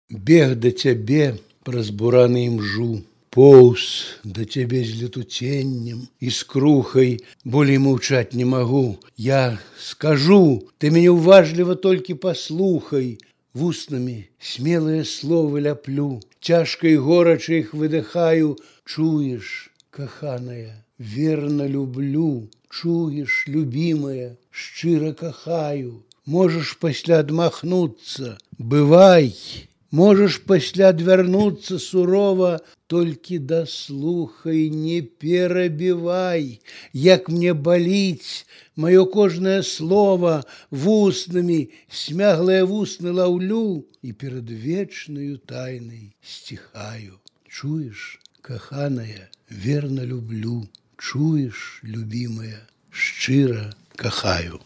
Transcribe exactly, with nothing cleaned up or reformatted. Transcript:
Бег да цябе праз бураны імжу, поўз да цябе з летуценнем і скрухай, болей маўчаць не магу. Я скажу, ты мяне ўважліва толькі паслухай, вуснамі смелыя словы ляплю, цяжка і горача іх выдыхаю. Чуеш, каханая, верна люблю, чуеш, любімая, шчыра кахаю. Можаш пасля адмахнуцца, бывай, можаш пасля адвярнуцца сурова, толькі даслухай, не перабівай, як мне баліць маё кожнае слова, вуснамі смяглыя вусны лаўлю і перад вечнаю тайнай сціхаю. Чуеш, каханая, верна люблю, чуеш, любімая, шчыра кахаю.